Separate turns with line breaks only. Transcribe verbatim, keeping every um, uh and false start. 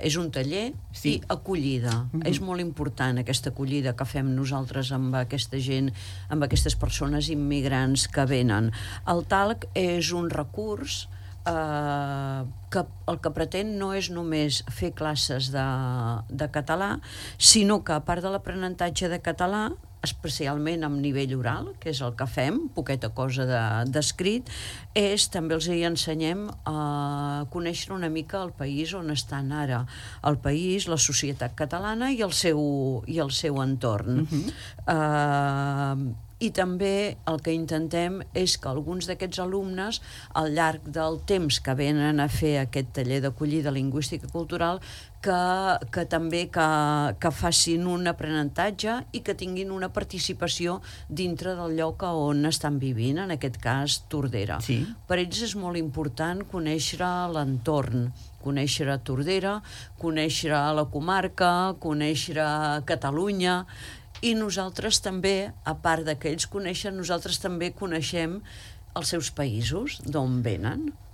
És un taller
Sí.
i acollida. Mm-hmm. És molt important aquesta acollida que fem nosaltres amb aquesta gent, amb aquestes persones immigrants que venen. El talc és un recurs eh, que el que pretén no és només fer classes de, de català, sinó que a part de l'aprenentatge de català, especialment amb nivell oral, que és el que fem, poqueta cosa d'escrit, de, és també els hi ensenyem a conèixer una mica el país on estan ara, el país, la societat catalana i el seu, i el seu entorn. Uh-huh. Uh, I també el que intentem és que alguns d'aquests alumnes, al llarg del temps que venen a fer aquest taller d'acollida lingüística cultural, que, que també que, que facin un aprenentatge i que tinguin una participació dintre del lloc on estan vivint, en aquest cas Tordera.
Sí.
Per ells és molt important conèixer l'entorn, conèixer Tordera, conèixer la comarca, conèixer Catalunya, i nosaltres també, a part de que ells coneixen, nosaltres també coneixem els seus països, d'on venen.